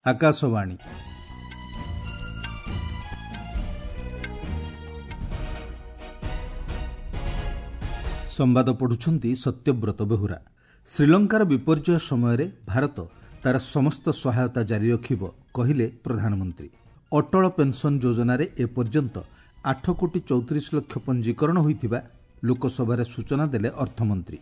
ଆକାଶବାଣୀ। ସମ୍ବାଦ ପଢ଼ୁଛନ୍ତି ସତ୍ୟବ୍ରତ ବେହୁରା। ଶ୍ରୀଲଙ୍କାର ବିପର୍ଯ୍ୟୟ ସମୟରେ ଭାରତ ତାର ସମସ୍ତ ସହାୟତା ଜାରି ରଖିବ, କହିଲେ ପ୍ରଧାନମନ୍ତ୍ରୀ। ଅଟଳ ପେନ୍ସନ୍ ଯୋଜନାରେ ଏପର୍ଯ୍ୟନ୍ତ 8 କୋଟି 34 ଲକ୍ଷ ପଞ୍ଜୀକରଣ ହୋଇଥିବା ଲୋକସଭାରେ ସୂଚନା ଦେଲେ ଅର୍ଥମନ୍ତ୍ରୀ।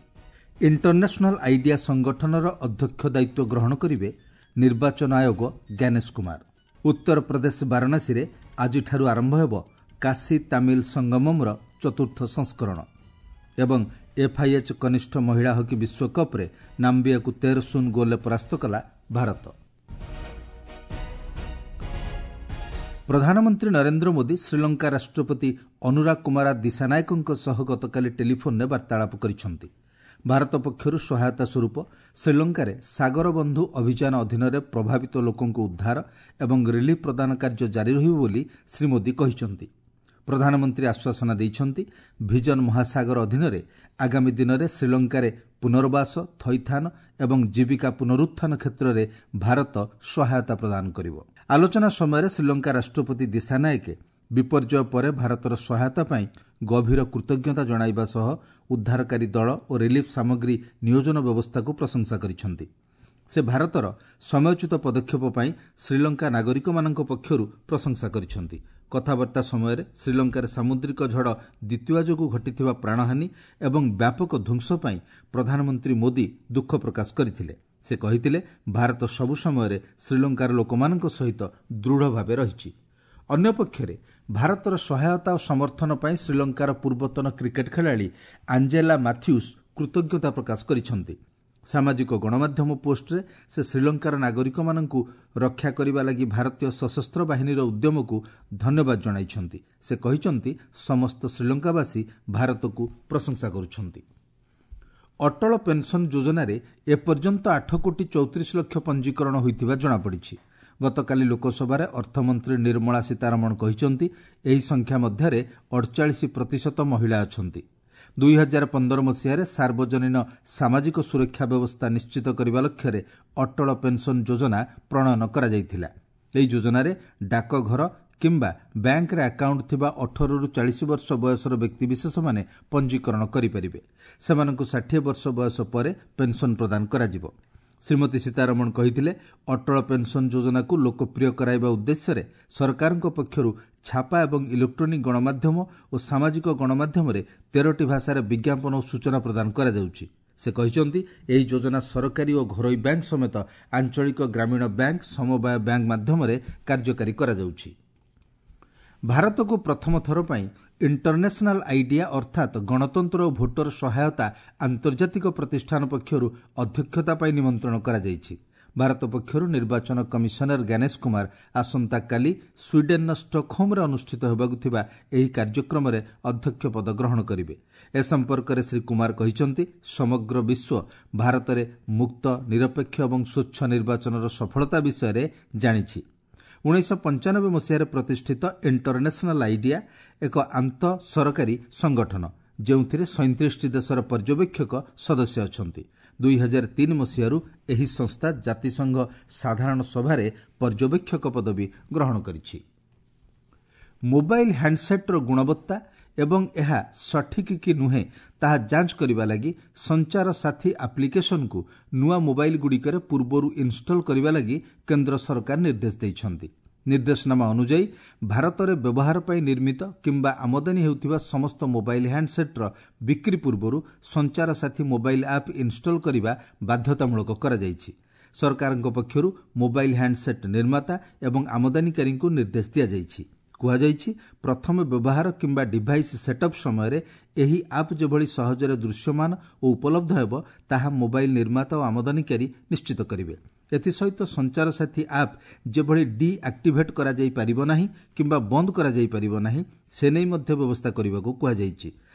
ଇଣ୍ଟରନ୍ୟାସନାଲ୍ ଆଇଡିଆ ସଂଗଠନର ଅଧ୍ୟକ୍ଷ ଦାୟିତ୍ୱ ଗ୍ରହଣ କରିବେ ନିର୍ବାଚନ ଆୟୋଗ ଜ୍ଞାନେଶ କୁମାର। ଉତ୍ତରପ୍ରଦେଶ ବାରାଣସୀରେ ଆଜିଠାରୁ ଆରମ୍ଭ ହେବ କାଶୀ ତାମିଲ ସଙ୍ଗମମ୍ର ଚତୁର୍ଥ ସଂସ୍କରଣ। ଏବଂ ଏଫ୍ଆଇଏଚ୍ କନିଷ୍ଠ ମହିଳା ହକି ବିଶ୍ୱକପ୍ରେ ନାମ୍ବିଆକୁ 13-0 ଗୋଲ୍ରେ ପରାସ୍ତ କଲା ଭାରତ। ପ୍ରଧାନମନ୍ତ୍ରୀ ନରେନ୍ଦ୍ର ମୋଦି ଶ୍ରୀଲଙ୍କା ରାଷ୍ଟ୍ରପତି ଅନୁରା କୁମାରା ଦିଶାନାୟକଙ୍କ ସହ ଗତକାଲି ଟେଲିଫୋନ୍ରେ ବାର୍ତ୍ତାଳାପ କରିଛନ୍ତି। ଭାରତ ପକ୍ଷରୁ ସହାୟତା ସ୍ୱରୂପ ଶ୍ରୀଲଙ୍କାରେ ସାଗର ବନ୍ଧୁ ଅଭିଯାନ ଅଧୀନରେ ପ୍ରଭାବିତ ଲୋକଙ୍କୁ ଉଦ୍ଧାର ଏବଂ ରିଲିଫ୍ ପ୍ରଦାନ କାର୍ଯ୍ୟ ଜାରି ରହିବ ବୋଲି ଶ୍ରୀ ମୋଦି କହିଛନ୍ତି। ପ୍ରଧାନମନ୍ତ୍ରୀ ଆଶ୍ୱାସନା ଦେଇଛନ୍ତି, ଭିଜନ ମହାସାଗର ଅଧୀନରେ ଆଗାମୀ ଦିନରେ ଶ୍ରୀଲଙ୍କାରେ ପୁନର୍ବାସ, ଥଇଥାନ ଏବଂ ଜୀବିକା ପୁନରୁତ୍ଥାନ କ୍ଷେତ୍ରରେ ଭାରତ ସହାୟତା ପ୍ରଦାନ କରିବ। ଆଲୋଚନା ସମୟରେ ଶ୍ରୀଲଙ୍କା ରାଷ୍ଟ୍ରପତି ଦିଶାନାୟକେ ବିପର୍ଯ୍ୟୟ ପରେ ଭାରତର ସହାୟତା ପାଇଁ ଗଭୀର କୃତଜ୍ଞତା ଜଣାଇବା ସହ ଉଦ୍ଧାରକାରୀ ଦଳ ଓ ରିଲିଫ୍ ସାମଗ୍ରୀ ନିୟୋଜନ ବ୍ୟବସ୍ଥାକୁ ପ୍ରଶଂସା କରିଛନ୍ତି। ସେ ଭାରତର ସମୟୋଚିତ ପଦକ୍ଷେପ ପାଇଁ ଶ୍ରୀଲଙ୍କା ନାଗରିକମାନଙ୍କ ପକ୍ଷରୁ ପ୍ରଶଂସା କରିଛନ୍ତି। କଥାବାର୍ତ୍ତା ସମୟରେ ଶ୍ରୀଲଙ୍କାରେ ସାମୁଦ୍ରିକ ଝଡ଼ ଦ୍ୱିତୀୟା ଯୋଗୁଁ ଘଟିଥିବା ପ୍ରାଣହାନି ଏବଂ ବ୍ୟାପକ ଧ୍ୱଂସ ପାଇଁ ପ୍ରଧାନମନ୍ତ୍ରୀ ମୋଦି ଦୁଃଖ ପ୍ରକାଶ କରିଥିଲେ। ସେ କହିଥିଲେ, ଭାରତ ସବୁ ସମୟରେ ଶ୍ରୀଲଙ୍କାର ଲୋକମାନଙ୍କ ସହିତ ଦୃଢ଼ ଭାବେ ରହିଛି। ଅନ୍ୟପକ୍ଷରେ ଭାରତର ସହାୟତା ଓ ସମର୍ଥନ ପାଇଁ ଶ୍ରୀଲଙ୍କାର ପୂର୍ବତନ କ୍ରିକେଟ୍ ଖେଳାଳି ଆଞ୍ଜେଲା ମାଥ୍ୟୁସ୍ କୃତଜ୍ଞତା ପ୍ରକାଶ କରିଛନ୍ତି। ସାମାଜିକ ଗଣମାଧ୍ୟମ ପୋଷ୍ଟରେ ସେ ଶ୍ରୀଲଙ୍କାର ନାଗରିକମାନଙ୍କୁ ରକ୍ଷା କରିବା ଲାଗି ଭାରତୀୟ ସଶସ୍ତ୍ର ବାହିନୀର ଉଦ୍ୟମକୁ ଧନ୍ୟବାଦ ଜଣାଇଛନ୍ତି। ସେ କହିଛନ୍ତି, ସମସ୍ତ ଶ୍ରୀଲଙ୍କାବାସୀ ଭାରତକୁ ପ୍ରଶଂସା କରୁଛନ୍ତି। ଅଟଳ ପେନ୍ସନ୍ ଯୋଜନାରେ ଏପର୍ଯ୍ୟନ୍ତ 8 କୋଟି 34 ଲକ୍ଷ ପଞ୍ଜୀକରଣ ହୋଇଥିବା ଜଣାପଡ଼ିଛି। ଗତକାଲି ଲୋକସଭାରେ ଅର୍ଥମନ୍ତ୍ରୀ ନିର୍ମଳା ସୀତାରମଣ କହିଛନ୍ତି, ଏହି ସଂଖ୍ୟା ମଧ୍ୟରେ 48% ମହିଳା ଅଛନ୍ତି। 2015 ମସିହାରେ ସାର୍ବଜନୀନ ସାମାଜିକ ସୁରକ୍ଷା ବ୍ୟବସ୍ଥା ନିଶ୍ଚିତ କରିବା ଲକ୍ଷ୍ୟରେ ଅଟଳ ପେନ୍ସନ୍ ଯୋଜନା ପ୍ରଣୟନ କରାଯାଇଥିଲା। ଏହି ଯୋଜନାରେ ଡାକଘର କିମ୍ବା ବ୍ୟାଙ୍କରେ ଆକାଉଣ୍ଟ ଥିବା 18ରୁ 40 ବର୍ଷ ବୟସର ବ୍ୟକ୍ତିବିଶେଷମାନେ ପଞ୍ଜୀକରଣ କରିପାରିବେ। ସେମାନଙ୍କୁ 60 ବର୍ଷ ବୟସ ପରେ ପେନ୍ସନ୍ ପ୍ରଦାନ କରାଯିବ। ଶ୍ରୀମତୀ ସୀତାରମଣ କହିଥିଲେ, ଅଟଳ ପେନ୍ସନ୍ ଯୋଜନାକୁ ଲୋକପ୍ରିୟ କରାଇବା ଉଦ୍ଦେଶ୍ୟରେ ସରକାରଙ୍କ ପକ୍ଷରୁ ଛାପା ଏବଂ ଇଲେକ୍ଟ୍ରୋନିକ୍ ଗଣମାଧ୍ୟମ ଓ ସାମାଜିକ ଗଣମାଧ୍ୟମରେ 13ଟି ଭାଷାରେ ବିଜ୍ଞାପନ ଓ ସୂଚନା ପ୍ରଦାନ କରାଯାଉଛି। ସେ କହିଛନ୍ତି, ଏହି ଯୋଜନା ସରକାରୀ ଓ ଘରୋଇ ବ୍ୟାଙ୍କ ସମେତ ଆଞ୍ଚଳିକ ଗ୍ରାମୀଣ ବ୍ୟାଙ୍କ, ସମବାୟ ବ୍ୟାଙ୍କ ମାଧ୍ୟମରେ କାର୍ଯ୍ୟକାରୀ କରାଯାଉଛି। ଭାରତକୁ ପ୍ରଥମ ଥର ପାଇଁ ଇଣ୍ଟରନ୍ୟାସନାଲ୍ ଆଇଡିଆ ଅର୍ଥାତ୍ ଗଣତନ୍ତ୍ର ଓ ଭୋଟର ସହାୟତା ଆନ୍ତର୍ଜାତିକ ପ୍ରତିଷ୍ଠାନ ପକ୍ଷରୁ ଅଧ୍ୟକ୍ଷତା ପାଇଁ ନିମନ୍ତ୍ରଣ କରାଯାଇଛି। ଭାରତ ପକ୍ଷରୁ ନିର୍ବାଚନ କମିଶନର ଜ୍ଞାନେଶ କୁମାର ଆସନ୍ତାକାଲି ସ୍ୱିଡେନ୍ର ଷ୍ଟକହୋମ୍ରେ ଅନୁଷ୍ଠିତ ହେବାକୁ ଥିବା ଏହି କାର୍ଯ୍ୟକ୍ରମରେ ଅଧ୍ୟକ୍ଷ ପଦ ଗ୍ରହଣ କରିବେ। ଏ ସମ୍ପର୍କରେ ଶ୍ରୀ କୁମାର କହିଛନ୍ତି, ସମଗ୍ର ବିଶ୍ୱ ଭାରତରେ ମୁକ୍ତ, ନିରପେକ୍ଷ ଏବଂ ସ୍ୱଚ୍ଛ ନିର୍ବାଚନର ସଫଳତା ବିଷୟରେ ଜାଣିଛି। 1995 ମସିହାରେ ପ୍ରତିଷ୍ଠିତ ଇଣ୍ଟରନ୍ୟାସନାଲ୍ ଆଇଡିଆ ଏକ ଆନ୍ତଃ ସରକାରୀ ସଂଗଠନ, ଯେଉଁଥିରେ 37ଟି ଦେଶର ପର୍ଯ୍ୟବେକ୍ଷକ ସଦସ୍ୟ ଅଛନ୍ତି। 2003 ମସିହାରୁ ଏହି ସଂସ୍ଥା ଜାତିସଂଘ ସାଧାରଣ ସଭାରେ ପର୍ଯ୍ୟବେକ୍ଷକ ପଦବୀ ଗ୍ରହଣ କରିଛି। ମୋବାଇଲ୍ ହ୍ୟାଣ୍ଡସେଟ୍ର ଗୁଣବତ୍ତା ଏବଂ ଏହା ସଠିକ୍ କି ନୁହେଁ ତାହା ଯାଞ୍ଚ କରିବା ଲାଗି ସଞ୍ଚାର ସାଥୀ ଆପ୍ଲିକେସନ୍କୁ ନୂଆ ମୋବାଇଲ୍ଗୁଡ଼ିକରେ ପୂର୍ବରୁ ଇନ୍ଷ୍ଟଲ୍ କରିବା ଲାଗି କେନ୍ଦ୍ର ସରକାର ନିର୍ଦ୍ଦେଶ ଦେଇଛନ୍ତି। ନିର୍ଦ୍ଦେଶନାମା ଅନୁଯାୟୀ ଭାରତରେ ବ୍ୟବହାର ପାଇଁ ନିର୍ମିତ କିମ୍ବା ଆମଦାନୀ ହେଉଥିବା ସମସ୍ତ ମୋବାଇଲ୍ ହ୍ୟାଣ୍ଡସେଟ୍ର ବିକ୍ରି ପୂର୍ବରୁ ସଞ୍ଚାର ସାଥୀ ମୋବାଇଲ୍ ଆପ୍ ଇନ୍ଷ୍ଟଲ୍ କରିବା ବାଧ୍ୟତାମୂଳକ କରାଯାଇଛି। ସରକାରଙ୍କ ପକ୍ଷରୁ ମୋବାଇଲ୍ ହ୍ୟାଣ୍ଡସେଟ୍ ନିର୍ମାତା ଏବଂ ଆମଦାନୀକାରୀଙ୍କୁ ନିର୍ଦ୍ଦେଶ ଦିଆଯାଇଛି। କୁହାଯାଇଛି, ପ୍ରଥମ ବ୍ୟବହାର କିମ୍ବା ଡିଭାଇସ୍ ସେଟ୍ଅପ୍ ସମୟରେ ଏହି ଆପ୍ ଯେଭଳି ସହଜରେ ଦୃଶ୍ୟମାନ ଓ ଉପଲବ୍ଧ ହେବ, ତାହା ମୋବାଇଲ୍ ନିର୍ମାତା ଓ ଆମଦାନୀକାରୀ ନିଶ୍ଚିତ କରିବେ। ଏଥିସହିତ ସଞ୍ଚାର ସାଥୀ ଆପ୍ ଯେଭଳି ଡିଆକ୍ଟିଭେଟ୍ କରାଯାଇପାରିବ ନାହିଁ କିମ୍ବା ବନ୍ଦ କରାଯାଇପାରିବ ନାହିଁ, ସେ ନେଇ ମଧ୍ୟ ବ୍ୟବସ୍ଥା କରିବାକୁ କୁହାଯାଇଛି।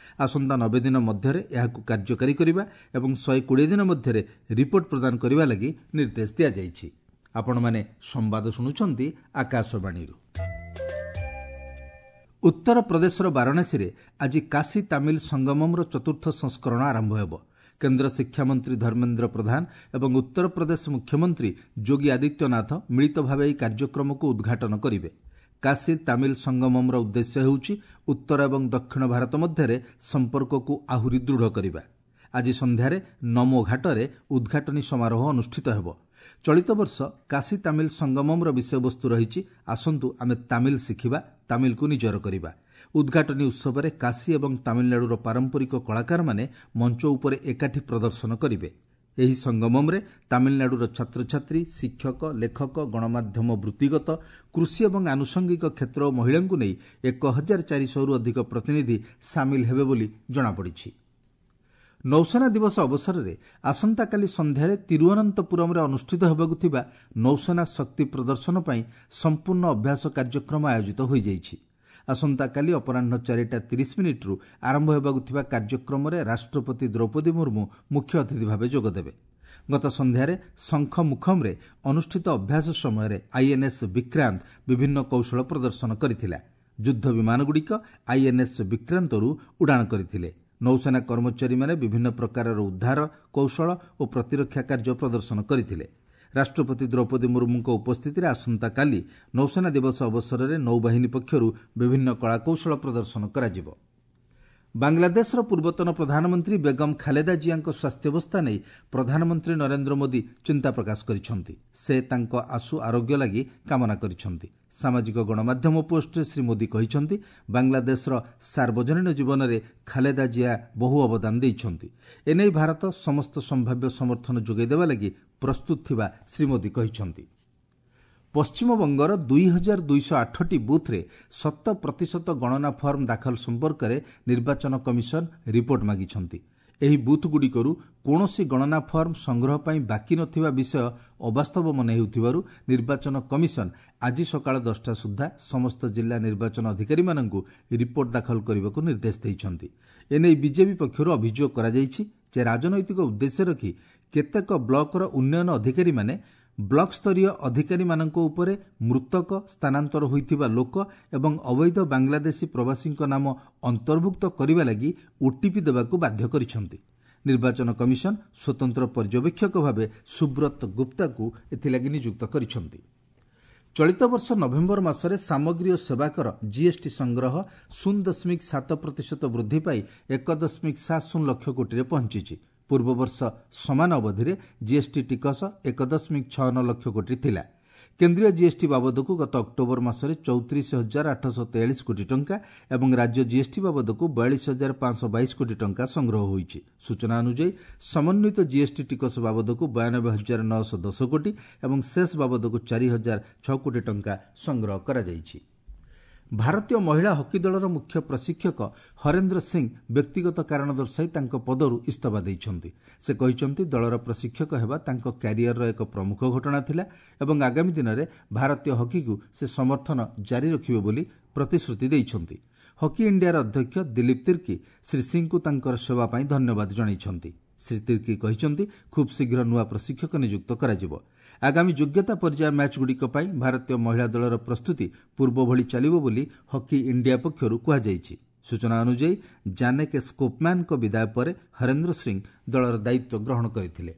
ଆସନ୍ତା 90 ଦିନ ମଧ୍ୟରେ ଏହାକୁ କାର୍ଯ୍ୟକାରୀ କରିବା ଏବଂ 120 ଦିନ ମଧ୍ୟରେ ରିପୋର୍ଟ ପ୍ରଦାନ କରିବା ଲାଗି ନିର୍ଦ୍ଦେଶ ଦିଆଯାଇଛି। ଆପଣମାନେ ସମ୍ବାଦ ଶୁଣୁଛନ୍ତି ଆକାଶବାଣୀରୁ। ଉତ୍ତରପ୍ରଦେଶର ବାରାଣସୀରେ ଆଜି କାଶୀ ତାମିଲ ସଙ୍ଗମମ୍ର ଚତୁର୍ଥ ସଂସ୍କରଣ ଆରମ୍ଭ ହେବ। କେନ୍ଦ୍ର ଶିକ୍ଷାମନ୍ତ୍ରୀ ଧର୍ମେନ୍ଦ୍ର ପ୍ରଧାନ ଏବଂ ଉତ୍ତରପ୍ରଦେଶ ମୁଖ୍ୟମନ୍ତ୍ରୀ ଯୋଗୀ ଆଦିତ୍ୟନାଥ ମିଳିତ ଭାବେ ଏହି କାର୍ଯ୍ୟକ୍ରମକୁ ଉଦ୍ଘାଟନ କରିବେ। କାଶୀ ତାମିଲ ସଙ୍ଗମମ୍ର ଉଦ୍ଦେଶ୍ୟ ହେଉଛି ଉତ୍ତର ଏବଂ ଦକ୍ଷିଣ ଭାରତ ମଧ୍ୟରେ ସମ୍ପର୍କକୁ ଆହୁରି ଦୃଢ଼ କରିବା। ଆଜି ସନ୍ଧ୍ୟାରେ ନମୋ ଘାଟରେ ଉଦ୍ଘାଟନୀ ସମାରୋହ ଅନୁଷ୍ଠିତ ହେବ। ଚଳିତ ବର୍ଷ କାଶୀ ତାମିଲ ସଙ୍ଗମମ୍ର ବିଷୟବସ୍ତୁ ରହିଛି ଆସନ୍ତୁ ଆମେ ତାମିଲ ଶିଖିବା, ତାମିଲକୁ ନିଜର କରିବା। ଉଦ୍ଘାଟନୀ ଉତ୍ସବରେ କାଶୀ ଏବଂ ତାମିଲନାଡୁର ପାରମ୍ପରିକ କଳାକାରମାନେ ମଞ୍ଚ ଉପରେ ଏକାଠି ପ୍ରଦର୍ଶନ କରିବେ। ଏହି ସଙ୍ଗମମ୍ରେ ତାମିଲନାଡୁର ଛାତ୍ରଛାତ୍ରୀ, ଶିକ୍ଷକ, ଲେଖକ, ଗଣମାଧ୍ୟମ, ବୃତ୍ତିଗତ, କୃଷି ଏବଂ ଆନୁଷଙ୍ଗିକ କ୍ଷେତ୍ର ଓ ମହିଳାଙ୍କୁ ନେଇ 1400ରୁ ଅଧିକ ପ୍ରତିନିଧି ସାମିଲ ହେବେ ବୋଲି ଜଣାପଡ଼ିଛି। ନୌସେନା ଦିବସ ଅବସରରେ ଆସନ୍ତାକାଲି ସନ୍ଧ୍ୟାରେ ତିରୁଅନନ୍ତପୁରମରେ ଅନୁଷ୍ଠିତ ହେବାକୁ ଥିବା ନୌସେନା ଶକ୍ତି ପ୍ରଦର୍ଶନ ପାଇଁ ସମ୍ପୂର୍ଣ୍ଣ ଅଭ୍ୟାସ କାର୍ଯ୍ୟକ୍ରମ ଆୟୋଜିତ ହୋଇଯାଇଛି। ଆସନ୍ତାକାଲି ଅପରାହ୍ନ 4ଟା 30 ମିନିଟ୍ରୁ ଆରମ୍ଭ ହେବାକୁ ଥିବା କାର୍ଯ୍ୟକ୍ରମରେ ରାଷ୍ଟ୍ରପତି ଦ୍ରୌପଦୀ ମୁର୍ମୁ ମୁଖ୍ୟ ଅତିଥି ଭାବେ ଯୋଗଦେବେ। ଗତ ସନ୍ଧ୍ୟାରେ ଶଙ୍ଖମୁଖମ୍ରେ ଅନୁଷ୍ଠିତ ଅଭ୍ୟାସ ସମୟରେ ଆଇଏନ୍ଏସ୍ ବିକ୍ରାନ୍ତ ବିଭିନ୍ନ କୌଶଳ ପ୍ରଦର୍ଶନ କରିଥିଲା। ଯୁଦ୍ଧ ବିମାନଗୁଡ଼ିକ ଆଇଏନ୍ଏସ୍ ବିକ୍ରାନ୍ତରୁ ଉଡ଼ାଣ କରିଥିଲେ। ନୌସେନା କର୍ମଚାରୀମାନେ ବିଭିନ୍ନ ପ୍ରକାରର ଉଦ୍ଧାର କୌଶଳ ଓ ପ୍ରତିରକ୍ଷା କାର୍ଯ୍ୟ ପ୍ରଦର୍ଶନ କରିଥିଲେ। ରାଷ୍ଟ୍ରପତି ଦ୍ରୌପଦୀ ମୁର୍ମୁଙ୍କ ଉପସ୍ଥିତିରେ ଆସନ୍ତାକାଲି ନୌସେନା ଦିବସ ଅବସରରେ ନୌବାହିନୀ ପକ୍ଷରୁ ବିଭିନ୍ନ କଳାକୌଶଳ ପ୍ରଦର୍ଶନ କରାଯିବ। ବାଂଲାଦେଶର ପୂର୍ବତନ ପ୍ରଧାନମନ୍ତ୍ରୀ ବେଗମ ଖାଲେଦା ଜିଆଙ୍କ ସ୍ୱାସ୍ଥ୍ୟାବସ୍ଥା ନେଇ ପ୍ରଧାନମନ୍ତ୍ରୀ ନରେନ୍ଦ୍ର ମୋଦି ଚିନ୍ତା ପ୍ରକାଶ କରିଛନ୍ତି। ସେ ତାଙ୍କ ଆଶୁ ଆରୋଗ୍ୟ ଲାଗି କାମନା କରିଛନ୍ତି। ସାମାଜିକ ଗଣମାଧ୍ୟମ ପୋଷ୍ଟରେ ଶ୍ରୀ ମୋଦି କହିଛନ୍ତି, ବାଂଲାଦେଶର ସାର୍ବଜନୀନ ଜୀବନରେ ଖାଲେଦା ଜିଆ ବହୁ ଅବଦାନ ଦେଇଛନ୍ତି। ଏନେଇ ଭାରତ ସମସ୍ତ ସମ୍ଭାବ୍ୟ ସମର୍ଥନ ଯୋଗାଇ ଦେବା ଲାଗି ପ୍ରସ୍ତୁତ ଥିବା ଶ୍ରୀ ମୋଦି କହିଛନ୍ତି। ପଶ୍ଚିମବଙ୍ଗର 2208ଟି ବୁଥ୍ରେ ଶତ ପ୍ରତିଶତ ଗଣନା ଫର୍ମ ଦାଖଲ ସମ୍ପର୍କରେ ନିର୍ବାଚନ କମିଶନ ରିପୋର୍ଟ ମାଗିଛନ୍ତି। ଏହି ବୁଥ୍ଗୁଡ଼ିକରୁ କୌଣସି ଗଣନା ଫର୍ମ ସଂଗ୍ରହ ପାଇଁ ବାକି ନଥିବା ବିଷୟ ଅବାସ୍ତବ ମନେ ହେଉଥିବାରୁ ନିର୍ବାଚନ କମିଶନ ଆଜି ସକାଳ 10ଟା ସୁଦ୍ଧା ସମସ୍ତ ଜିଲ୍ଲା ନିର୍ବାଚନ ଅଧିକାରୀମାନଙ୍କୁ ରିପୋର୍ଟ ଦାଖଲ କରିବାକୁ ନିର୍ଦ୍ଦେଶ ଦେଇଛନ୍ତି। ଏନେଇ ବିଜେପି ପକ୍ଷରୁ ଅଭିଯୋଗ କରାଯାଇଛି ଯେ ରାଜନୈତିକ ଉଦ୍ଦେଶ୍ୟ ରଖି କେତେକ ବ୍ଲକର ଉନ୍ନୟନ ଅଧିକାରୀମାନେ ବ୍ଲକ ସ୍ତରୀୟ ଅଧିକାରୀମାନଙ୍କ ଉପରେ ମୃତକ, ସ୍ଥାନାନ୍ତର ହୋଇଥିବା ଲୋକ ଏବଂ ଅବୈଧ ବାଂଲାଦେଶୀ ପ୍ରବାସୀଙ୍କ ନାମ ଅନ୍ତର୍ଭୁକ୍ତ କରିବା ଲାଗି ଓଟିପି ଦେବାକୁ ବାଧ୍ୟ କରିଛନ୍ତି। ନିର୍ବାଚନ କମିଶନ ସ୍ୱତନ୍ତ୍ର ପର୍ଯ୍ୟବେକ୍ଷକ ଭାବେ ସୁବ୍ରତ ଗୁପ୍ତାଙ୍କୁ ଏଥିଲାଗି ନିଯୁକ୍ତ କରିଛନ୍ତି। ଚଳିତ ବର୍ଷ ନଭେମ୍ବର ମାସରେ ସାମଗ୍ରୀ ଓ ସେବାକର ଜିଏସ୍ଟି ସଂଗ୍ରହ 0.7% ବୃଦ୍ଧି ପାଇ 1.70 ଲକ୍ଷ କୋଟିରେ ପହଞ୍ଚିଛି। ପୂର୍ବବର୍ଷ ସମାନ ଅବଧିରେ ଜିଏସ୍ଟି ଟିକସ 1.69 ଲକ୍ଷ କୋଟି ଥିଲା। କେନ୍ଦ୍ରୀୟ ଜିଏସ୍ଟି ବାବଦକୁ ଗତ ଅକ୍ଟୋବର ମାସରେ 34,843 କୋଟି ଟଙ୍କା ଏବଂ ରାଜ୍ୟ ଜିଏସ୍ଟି ବାବଦକୁ 42,522 କୋଟି ଟଙ୍କା ସଂଗ୍ରହ ହୋଇଛି। ସୂଚନା ଅନୁଯାୟୀ, ସମନ୍ୱିତ ଜିଏସ୍ଟି ଟିକସ ବାବଦକୁ 92,910 କୋଟି ଏବଂ ସେସ୍ ବାବଦକୁ 4,006 କୋଟି ଟଙ୍କା ସଂଗ୍ରହ କରାଯାଇଛି। ଭାରତୀୟ ମହିଳା ହକି ଦଳର ମୁଖ୍ୟ ପ୍ରଶିକ୍ଷକ ହରେନ୍ଦ୍ର ସିଂ ବ୍ୟକ୍ତିଗତ କାରଣ ଦର୍ଶାଇ ତାଙ୍କ ପଦରୁ ଇସ୍ତଫା ଦେଇଛନ୍ତି। ସେ କହିଛନ୍ତି, ଦଳର ପ୍ରଶିକ୍ଷକ ହେବା ତାଙ୍କ କ୍ୟାରିୟରର ଏକ ପ୍ରମୁଖ ଘଟଣା ଥିଲା ଏବଂ ଆଗାମୀ ଦିନରେ ଭାରତୀୟ ହକିକୁ ସେ ସମର୍ଥନ ଜାରି ରଖିବେ ବୋଲି ପ୍ରତିଶ୍ରୁତି ଦେଇଛନ୍ତି। ହକି ଇଣ୍ଡିଆର ଅଧ୍ୟକ୍ଷ ଦିଲୀପ ତିର୍କୀ ଶ୍ରୀ ସିଂଙ୍କୁ ତାଙ୍କର ସେବା ପାଇଁ ଧନ୍ୟବାଦ ଜଣାଇଛନ୍ତି। ଶ୍ରୀ ତିର୍କୀ କହିଛନ୍ତି, ଖୁବ୍ ଶୀଘ୍ର ନୂଆ ପ୍ରଶିକ୍ଷକ ନିଯୁକ୍ତ କରାଯିବ। ଆଗାମୀ ଯୋଗ୍ୟତା ପର୍ଯ୍ୟାୟ ମ୍ୟାଚ୍ଗୁଡ଼ିକ ପାଇଁ ଭାରତୀୟ ମହିଳା ଦଳର ପ୍ରସ୍ତୁତି ପୂର୍ବଭଳି ଚାଲିବ ବୋଲି ହକି ଇଣ୍ଡିଆ ପକ୍ଷରୁ କୁହାଯାଇଛି। ସୂଚନା ଅନୁଯାୟୀ, ଜାନେକେ ସ୍କୋପମ୍ୟାନ୍ଙ୍କ ବିଦାୟ ପରେ ହରେନ୍ଦ୍ର ସିଂ ଦଳର ଦାୟିତ୍ୱ ଗ୍ରହଣ କରିଥିଲେ।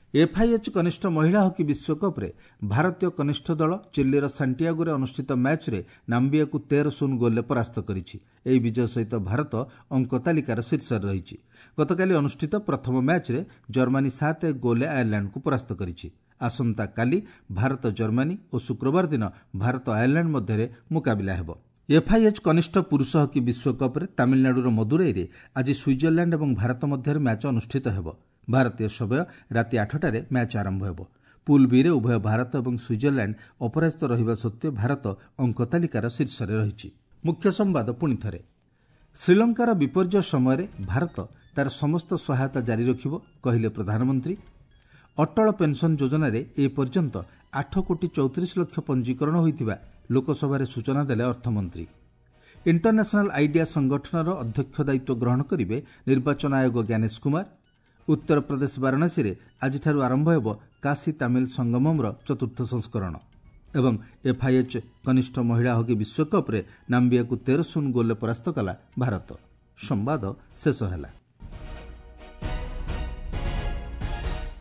ଏଫ୍ଆଇଏଚ୍ କନିଷ୍ଠ ମହିଳା ହକି ବିଶ୍ୱକପ୍ରେ ଭାରତୀୟ କନିଷ୍ଠ ଦଳ ଚିଲିର ସାଣ୍ଟିଆଗୋରେ ଅନୁଷ୍ଠିତ ମ୍ୟାଚ୍ରେ ନାମ୍ବିଆକୁ 13-0 ଗୋଲ୍ରେ ପରାସ୍ତ କରିଛି। ଏହି ବିଜୟ ସହିତ ଭାରତ ଅଙ୍କ ତାଲିକାର ଶୀର୍ଷରେ ରହିଛି। ଗତକାଲି ଅନୁଷ୍ଠିତ ପ୍ରଥମ ମ୍ୟାଚ୍ରେ ଜର୍ମାନୀ 7-1 ଗୋଲ୍ରେ ଆୟାରଲ୍ୟାଣ୍ଡକୁ ପରାସ୍ତ କରିଛି। ଆସନ୍ତାକାଲି ଭାରତ ଜର୍ମାନୀ ଓ ଶୁକ୍ରବାର ଦିନ ଭାରତ ଆୟାରଲ୍ୟାଣ୍ଡ ମଧ୍ୟରେ ମୁକାବିଲା ହେବ। ଏଫ୍ଆଇଏଚ୍ କନିଷ୍ଠ ପୁରୁଷ ହକି ବିଶ୍ୱକପ୍ରେ ତାମିଲନାଡୁର ମଦୁରାଇରେ ଆଜି ସୁଇଜରଲ୍ୟାଣ୍ଡ ଏବଂ ଭାରତ ମଧ୍ୟରେ ମ୍ୟାଚ୍ ଅନୁଷ୍ଠିତ ହେବ। ଭାରତୀୟ ସମୟ ରାତି 8ଟାରେ ମ୍ୟାଚ୍ ଆରମ୍ଭ ହେବ। ପୁଲ୍ ବିରେ ଉଭୟ ଭାରତ ଏବଂ ସୁଇଜରଲ୍ୟାଣ୍ଡ ଅପରାଜିତ ରହିବା ସତ୍ତ୍ୱେ ଭାରତ ଅଙ୍କ ତାଲିକାର ଶୀର୍ଷରେ ରହିଛି। ମୁଖ୍ୟ ସମ୍ବାଦ ପୁଣି ଥରେ। ଶ୍ରୀଲଙ୍କାର ବିପର୍ଯ୍ୟୟ ସମୟରେ ଭାରତ ତାର ସମସ୍ତ ସହାୟତା ଜାରି ରଖିବ, କହିଲେ ପ୍ରଧାନମନ୍ତ୍ରୀ। ଅଟଳ ପେନ୍ସନ୍ ଯୋଜନାରେ ଏ ପର୍ଯ୍ୟନ୍ତ 8 କୋଟି 34 ଲକ୍ଷ ପଞ୍ଜୀକରଣ ହୋଇଥିବା ଲୋକସଭାରେ ସୂଚନା ଦେଲେ ଅର୍ଥମନ୍ତ୍ରୀ। ଇଣ୍ଟରନ୍ୟାସନାଲ ଆଇଡିଆ ସଂଗଠନର ଅଧ୍ୟକ୍ଷ ଦାୟିତ୍ୱ ଗ୍ରହଣ କରିବେ ନିର୍ବାଚନ ଆୟୋଗ ଜ୍ଞାନେଶ କୁମାର। ଉତ୍ତରପ୍ରଦେଶ ବାରାଣସୀରେ ଆଜିଠାରୁ ଆରମ୍ଭ ହେବ କାଶୀ ତାମିଲ ସଙ୍ଗମମ୍ର ଚତୁର୍ଥ ସଂସ୍କରଣ ଏବଂ ଏଫ୍ଆଇଏଚ୍ କନିଷ୍ଠ ମହିଳା ହକି ବିଶ୍ୱକପ୍ରେ ନାମ୍ବିଆକୁ 13-0 ଗୋଲ୍ରେ ପରାସ୍ତ କଲା ଭାରତ। ସମ୍ବାଦ ଶେଷ ହେଲା।